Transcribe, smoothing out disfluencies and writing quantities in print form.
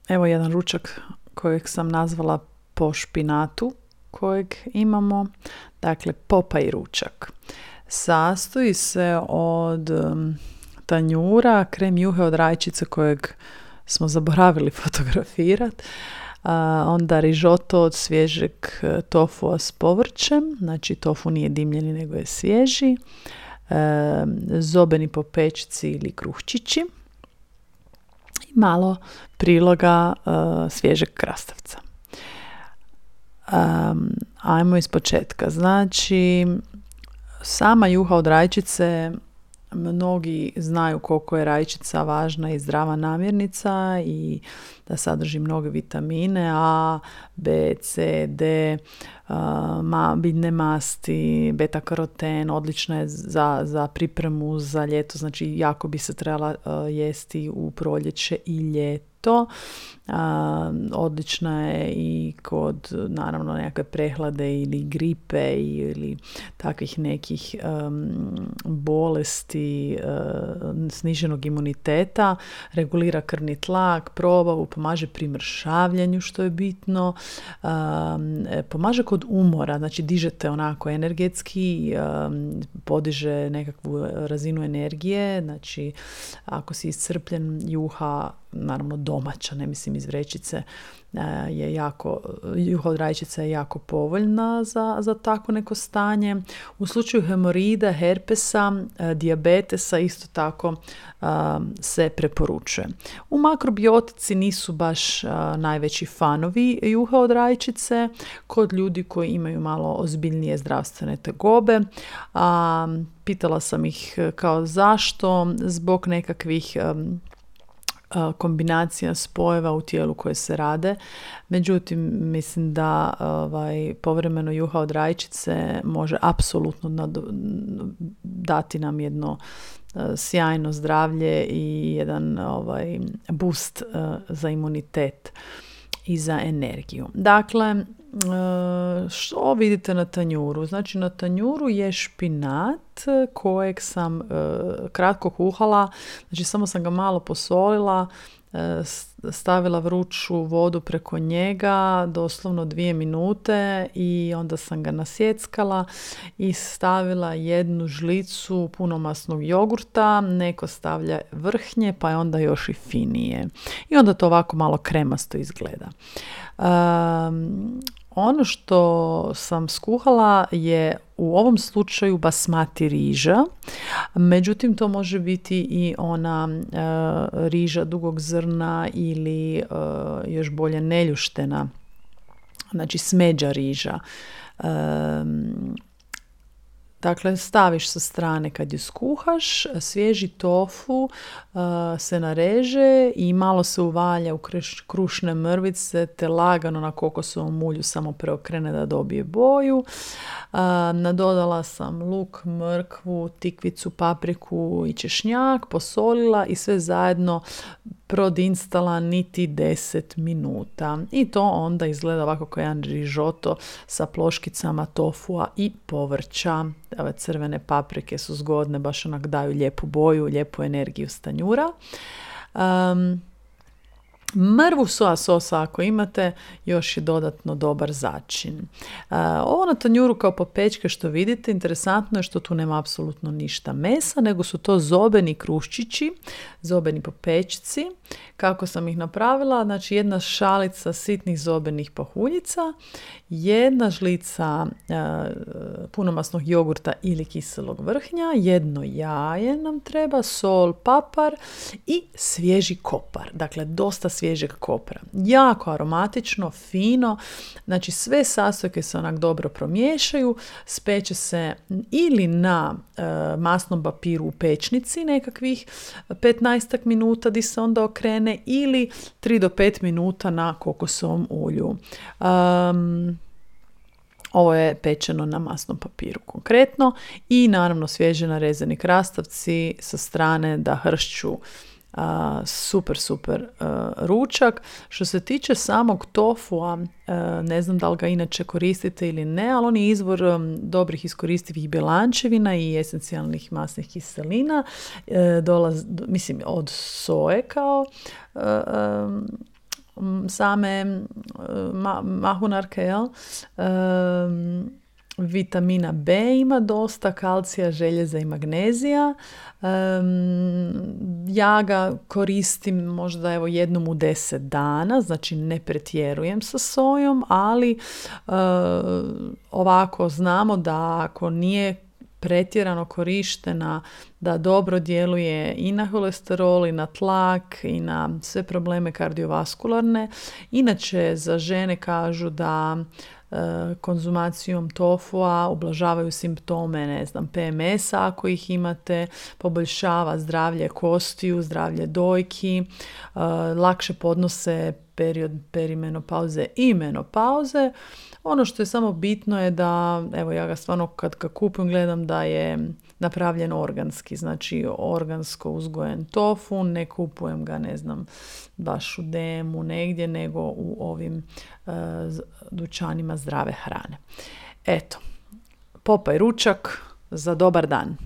Evo jedan ručak kojeg sam nazvala po špinatu kojeg imamo. Dakle, Popaj ručak. Sastoji se od tanjura, krem juhe od rajčice kojeg smo zaboravili fotografirati, onda rižoto od svježeg tofua s povrćem, znači tofu nije dimljeni nego je svježi, zobeni po pečici ili kruhčići i malo priloga svježeg krastavca. Ajmo iz početka. Znači, sama juha od rajčice, mnogi znaju koliko je rajčica važna i zdrava namirnica i da sadrži mnoge vitamine A, B, C, D, biljne masti, beta-karoten, odlična je za pripremu za ljeto, znači jako bi se trebala jesti u proljeće i ljeto. Odlična je i kod naravno nekakve prehlade ili gripe ili takvih nekih bolesti, sniženog imuniteta, regulira krvni tlak, probavu, pomaže pri mršavljenju što je bitno, pomaže kod umora, znači dižete onako energetski, podiže nekakvu razinu energije, znači ako si iscrpljen, juha, naravno domaća, ne mislim iz vrećice, je jako, juha od rajčice je jako povoljna za tako neko stanje. U slučaju hemorida, herpesa, dijabetesa isto tako se preporučuje. U makrobiotici nisu baš najveći fanovi juha od rajčice kod ljudi koji imaju malo ozbiljnije zdravstvene tegobe. Pitala sam ih kao zašto, zbog nekakvih kombinacija spojeva u tijelu koje se rade. Međutim, mislim da povremeno juha od rajčice može apsolutno dati nam jedno sjajno zdravlje i jedan boost za imunitet i za energiju. Dakle, što vidite na tanjuru? Znači, na tanjuru je špinat kojeg sam kratko kuhala, znači samo sam ga malo posolila, stavila vruću vodu preko njega, doslovno 2 minute i onda sam ga nasjeckala i stavila 1 žlicu punomasnog jogurta, neko stavlja vrhnje pa je onda još i finije. I onda to ovako malo kremasto izgleda. Ono što sam skuhala je u ovom slučaju basmati riža, međutim to može biti i ona riža dugog zrna ili još bolje neljuštena, znači smeđa riža. Dakle, staviš sa strane kad ju skuhaš, svježi tofu se nareže i malo se uvalja u krušne mrvice te lagano na kokosovom ulju samo preokrene da dobije boju. Nadodala sam luk, mrkvu, tikvicu, papriku i češnjak, posolila i sve zajedno prodinstala niti 10 minuta. I to onda izgleda ovako kao jedan rižoto sa ploškicama tofua i povrća. Ove crvene paprike su zgodne, baš onak daju lijepu boju, lijepu energiju s tanjura. Mrvu soja sosa ako imate, još je dodatno dobar začin. Ovo na tanjuru kao popečke što vidite, interesantno je što tu nema apsolutno ništa mesa, nego su to zobeni kruščići, zobeni popečci. Kako sam ih napravila? Znači 1 šalica sitnih zobenih pahuljica, 1 žlica punomasnog jogurta ili kiselog vrhnja, 1 jaje nam treba, sol, papar i svježi kopar. Dakle, dosta svježeg kopra. Jako aromatično, fino, znači sve sastojke se onak dobro promiješaju, speče se ili na masnom papiru u pečnici nekakvih 15 minuta di se onda okrene ili 3 do 5 minuta na kokosovom ulju. Ovo je pečeno na masnom papiru konkretno i naravno svježe narezani krastavci sa strane da hršću. Super ručak. Što se tiče samog tofua, ne znam da li ga inače koristite ili ne, ali on je izvor dobrih iskoristivih bjelančevina i esencijalnih masnih kiselina. Mislim, od soje kao same mahunarke, jel? Vitamina B ima dosta, kalcija, željeza i magnezija. Ja ga koristim možda jednom u 10 dana, znači ne pretjerujem sa sojom, ali ovako znamo da ako nije pretjerano korištena, da dobro djeluje i na kolesterol, i na tlak, i na sve probleme kardiovaskularne. Inače, za žene kažu da konzumacijom tofua ublažavaju simptome, PMS-a ako ih imate, poboljšava zdravlje kostiju, zdravlje dojki, lakše podnose period perimenopauze i menopauze. Ono što je samo bitno je da, ja ga stvarno kad ga kupim gledam da je napravljen organski, znači organsko uzgojen tofu, ne kupujem ga, baš u DM-u negdje, nego u ovim dućanima zdrave hrane. Eto, popaj ručak za dobar dan.